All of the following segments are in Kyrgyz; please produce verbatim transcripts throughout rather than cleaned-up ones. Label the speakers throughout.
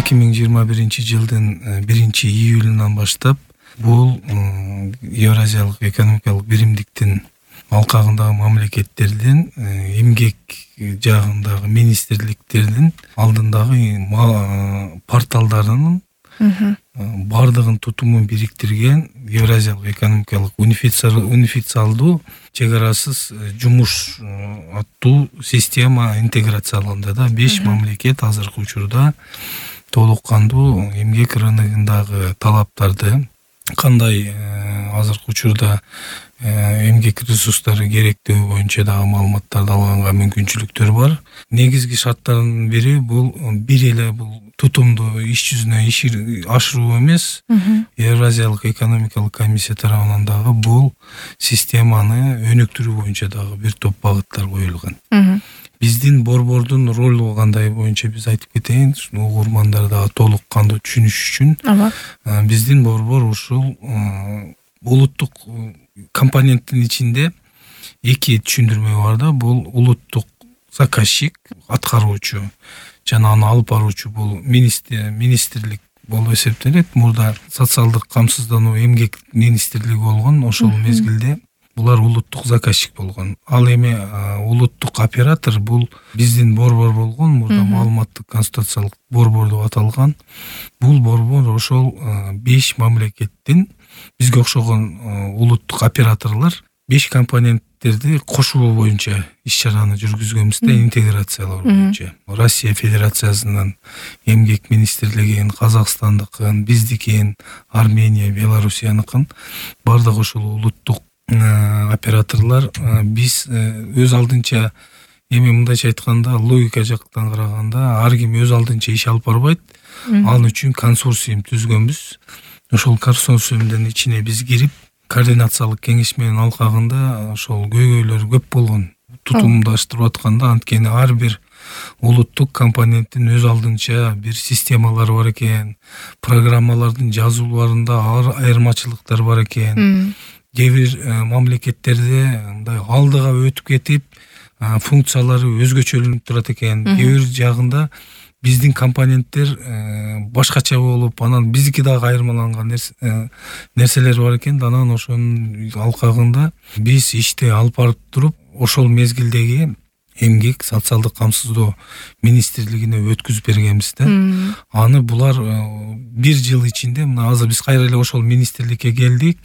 Speaker 1: эки миң жыйырма биринчи жылдын биринчи июлунан баштап бул Евразиялык экономикалык биримдиктин алкагындагы мамлекеттердин эмгек жагындагы министрликтердин алдындагы порталдарынын бардыгын тутумун бириктирген Евразиялык экономикалык унифициалдуу чек арасыз жумуш аттуу система интеграцияланды да. Беш мамлекет азыркы учурда толук кандуу эмгек рыногундагы талаптарды, кандай азыркы учурда эмгек ресурстары керектөө боюнча дагы маалыматтарды алганга мүмкүнчүлүктөр бар. Негизги шарттардын бири бул бир эле бул тутумду иш жүзүнө ашыруу эмес. Евразиялык экономикалык комиссия тарабынан дагы бул системаны өнүктүрүү боюнча дагы бир топ багыттар коюлган. Биздин борбордун ролу кандай боюнча биз айтып кетейин, угурмандар дагы толук кандуу түшүнүш үчүн. Биздин борбор ушул улуттук компоненттин ичинде эки түшүндүрмө бар да. Бул улуттук заказчик, аткаруучу жана аны алып баруучу бул министрлик болуп эсептелет. Мурда социалдык камсыздануу эмгек министрлиги болгон, ошол мезгилде булар улуттук заказчик болгон. Ал эми улуттук оператор бул биздин борбор болгон, мурда маалыматтык консультациялык борбор деп аталган. Бул борбор ошол беш мамлекеттин бизге окшогон улуттук операторлор беш компоненттерди кошуу боюнча иш-чараны жүргүзгөнбүз да, интеграциялоо боюнча. Россия Федерациясынын эмгек министрлигин, Казакстандыкын, биздикин, Армения, Белоруссияныкын бардыгы ошол улуттук операторлор. Биз өз алдынча эми мындайча айтканда, логика жактан караганда ар ким өз алдынча иш алып барбайт. Ал үчүн консорциум түзгөнбүз. Ошол консорциумдун ичине биз кирип, координациялык кеңеш менен алкагында ошол көйгөйлөр көп болгон. Тутумдаштырып атканда, анткени ар бир улуттук компоненттин өз алдынча бир системалары бар экен, программалардын жазууларында айырмачылыктар бар экен. Кээ бир мамлекеттерде мындай алдыга өтүп кетип, функциялары өзгөчөлөнүп турат экен. Кээ бир жагында биздин компоненттер башкача болуп, анан биздики дагы айырмаланган нерселер бар экен. Анан ошонун алкагында биз ишти алып барып туруп, ошол мезгилдеги эмгек социалдык камсыздоо министрлигине өткүзүп бергенбиз да. Аны булар бир жыл ичинде, мына азыр биз кайра эле ошол министрликке келдик.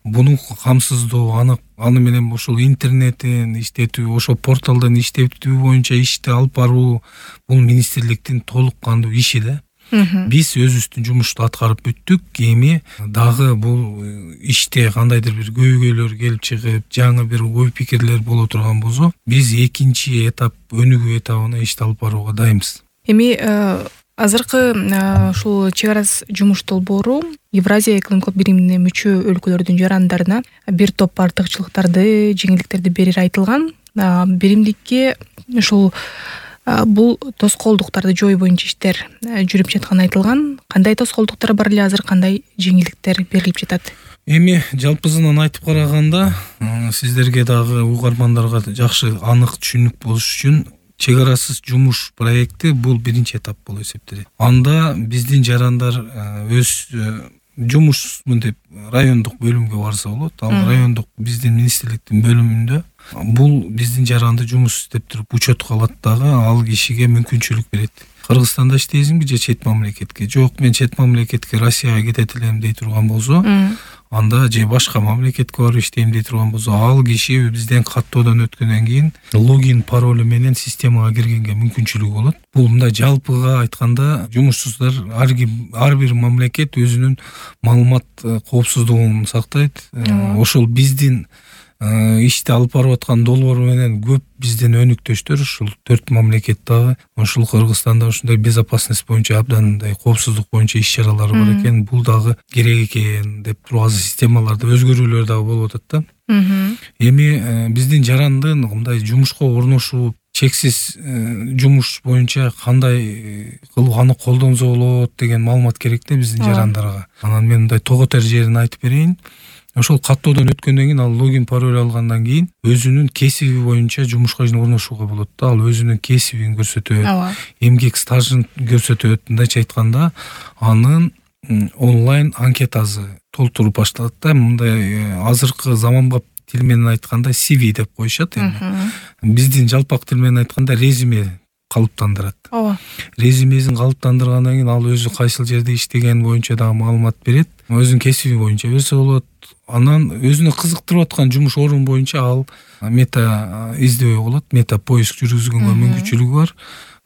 Speaker 1: Буну камсыздоо, аны аны менен ошол интернеттин иштетүү, ошол порталдын иштетүү боюнча ишти алып баруу бул министрликтин толук кандуу иши да. Биз өзүбүздүн жумушту аткарып бүттүк. Эми дагы бул иште кандайдыр бир көйгөйлөр келип чыгып, жаңы бир ой пикирлер боло турган болсо, биз экинчи этап, өнүгүү этабына ишти алып барууга дайынбыз.
Speaker 2: Эми азыркы ушул чек арас жумуш долбоору Евразия экономикалык биримине мүчө өлкөлөрдүн жарандарына бир топ артыкчылыктарды, жеңилдиктерди берери айтылган. Биримдикке ушул бул тоскоолдуктарды жою боюнча иштер жүрүп жатканы айтылган. Кандай тоскоолдуктар бар эле азыр, кандай жеңилдиктер берилип жатат?
Speaker 1: Эми жалпысынан айтып караганда, сиздерге дагы угармандарга жакшы анык түшүнүк болуш үчүн, чек арасыз жумуш проекти бул биринчи этап болуп эсептелет. Анда биздин жарандар өз жумушмун деп райондук бөлүмгө барса болот. Ал райондук биздин министрликтин бөлүмүндө бул биздин жаранды жумуш иштеп туруп учетко алат дагы, ал кишиге мүмкүнчүлүк берет. Кыргызстанда иштейсиңби же чет мамлекетке? Жок, мен чет мамлекетке, Россияга кетет элем дей турган болсо, анда же башка мамлекетке барып иштейм дей турган болсо, ал киши бизден каттоодон өткөндөн кийин логин паролу менен системага киргенге мүмкүнчүлүгү болот. Бул мындай жалпыга айтканда, жумушсуздар ар ким, ар бир мамлекет өзүнүн маалымат коопсуздугун сактайт. Ошол биздин ишти алып барып аткан долбоор менен көп биздин өнүктөштөр ушул төрт мамлекет дагы ушул Кыргызстанда ушундай безопасность боюнча абдан мындай коопсуздук боюнча иш-чаралары бар экен. Бул дагы керек экен деп туруп азыр системаларда өзгөрүүлөр дагы болуп атат да. Эми биздин жарандын мындай жумушка орношуп, чексиз жумуш боюнча кандай кылып аны колдонсо болот деген маалымат керек да биздин жарандарга. Анан мен мындай тоготер жерин айтып берейин. ошол каттоодон өткөндөн кийин ал логин пароль алгандан кийин өзүнүн кесиби боюнча жумушка орношууга болот да. Ал өзүнүн кесибин көрсөтөт,
Speaker 2: ооба,
Speaker 1: эмгек стажын көрсөтөт. Мындайча айтканда, анын онлайн анкетасы толтуруп башталат да. Мындай азыркы заманбап тил менен айтканда си ви деп коюшат эми. Биздин жалпак тил менен айтканда резюме калыптандырат.
Speaker 2: ооба.
Speaker 1: Резюмесин калыптандыргандан кийин ал өзү кайсыл жерде иштеген боюнча дагы маалымат берет. Өзүнүн кесиби боюнча берсе болот. Анан өзүнө кызыктырып аткан жумуш орун боюнча ал мета издөө болот. Мета поиск жүргүзгөнгө мүмкүнчүлүгү бар.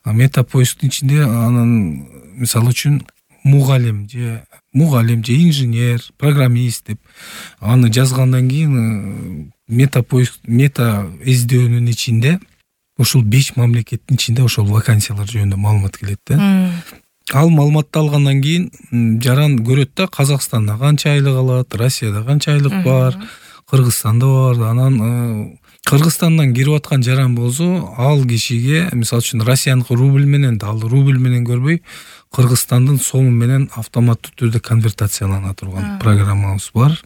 Speaker 1: Мета поисктин ичинде анан мисалы үчүн мугалим же мугалим же инженер, программист деп аны жазгандан кийин мета поиск мета издөөнүн ичинде ушул беш мамлекеттин ичинде ошол вакансиялар жөнүндө маалымат келет да. Ал маалыматты алгандан кийин жаран көрөт да, Казакстанда канча айлык алат, Россияда канча айлык бар, Кыргызстанда бар. Анан Кыргызстандан кирип аткан жаран болсо, ал кишиге мисалы үчүн Россияныкы рубль менен, ал рубль менен көрбөй, Кыргызстандын сому менен автоматтуу түрдө конвертациялана турган программабыз бар.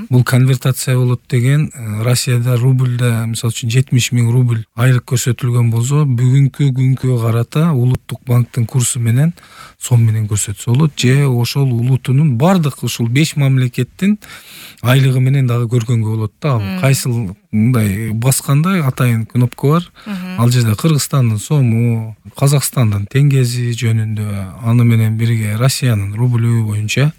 Speaker 1: Бул конвертация болот деген, Россияда рубльда мисалы үчүн жетимиш миң рубль айлык көрсөтүлгөн болсо, бүгүнкү күнгө карата улуттук банктын курсу менен сом менен көрсөтсө болот, же ошол улутунун бардык ушул беш мамлекеттин айлыгы менен дагы көргөнгө болот да. Ал кайсыл мындай басканда атайын кнопка бар. Ал жерде Кыргызстандын сому, Казакстандын теңгези жөнүндө, аны менен бирге Россиянын рублю боюнча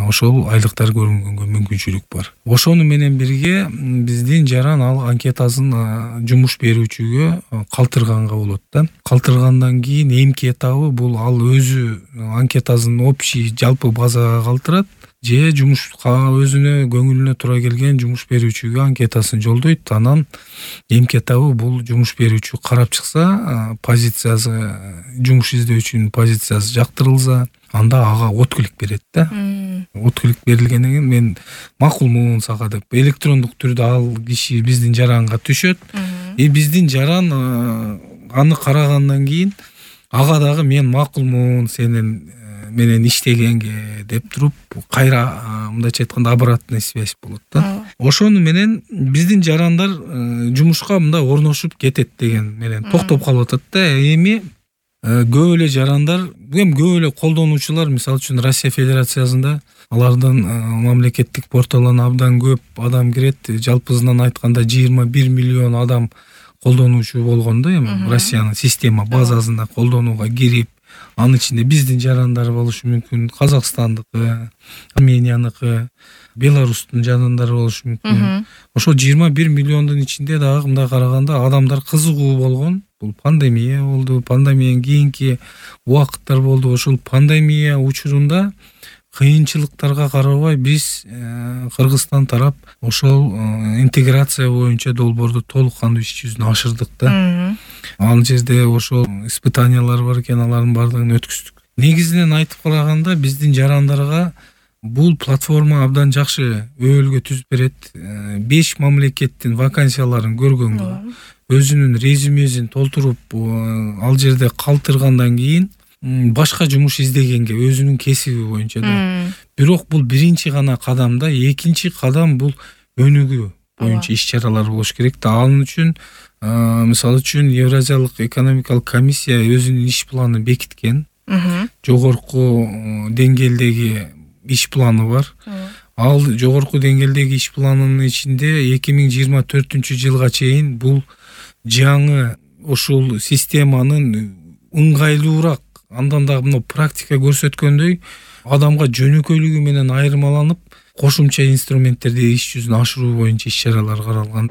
Speaker 1: ошол айлыктар көрүнгөнгө мүмкүнчүлүк бар. Ошону менен бирге биздин жаран ал анкетасын жумуш берүүчүгө калтырганга болот да. Калтыргандан кийин эмки этабы бул ал өзү анкетасын общий жалпы базага калтырат, же жумушка өзүнө көңүлүнө туура келген жумуш берүүчүгө анкетасын жолдойт. Анан эмки этабы бул жумуш берүүчү карап чыкса, позициясы, жумуш издөөчүнүн позициясы жактырылса, анда ага отклик берет да. Отклик берилгенден кийин мен макулмун сага деп электрондук түрдө ал киши биздин жаранга түшөт. И биздин жаран аны карагандан кийин ага дагы мен макулмун сенин менен иштегенге деп туруп кайра мындайча айтканда обратная связь болот да. Ошону менен биздин жарандар жумушка мындай орношуп кетет деген менен токтоп калып атат да. Эми көп эле жарандар, эми көп эле колдонуучулар, мисалы үчүн Россия Федерациясында алардын мамлекеттик порталына абдан көп адам кирет. Жалпысынан айтканда жыйырма бир миллион адам колдонуучу болгон да. Эми Россиянын система базасында колдонууга кирип, анын ичинде биздин жарандар болушу мүмкүн, Казакстандыкы, Арменияныкы, Беларустун жарандары болушу мүмкүн. Ошо жыйырма бир миллиондун ичинде дагы мындай караганда адамдар кызыгуу болгон. Бул пандемия болду, пандемиянын кийинки убакыттар болду. Ошол пандемия учурунда кыйынчылыктарга карабай биз Кыргызстан тарап ошол интеграция боюнча долбоорду толук кандуу иш жүзүнө ашырдык да. Ал жерде ошол испытаниялар бар экен, алардын бардыгын өткүздүк. Негизинен айтып караганда биздин жарандарга бул платформа абдан жакшы өбөлгө түзүп берет. беш мамлекеттин вакансияларын көргөнгө, өзүнүн резюмесин толтуруп ал жерде калтыргандан кийин башка жумуш издегенге өзүнүн кесиби боюнча да. Бирок бул биринчи гана кадам да. Экинчи кадам бул өнүгүү боюнча иш-чаралар болуш керек да. Анын үчүн мисалы үчүн Евразиялык экономикалык комиссия өзүнүн иш планын бекиткен. Жогорку деңгээлдеги иш планы бар. Ал жогорку деңгээлдеги иш планынын ичинде эки миң жыйырма төртүнчү жылга чейин бул жаңы ушул системанын ыңгайлуураак, андан дагы мына практика көрсөткөндөй адамга жөнөкөйлүгү менен айырмаланып, кошумча инструменттерди иш жүзүнө ашыруу боюнча иш-чаралар каралган.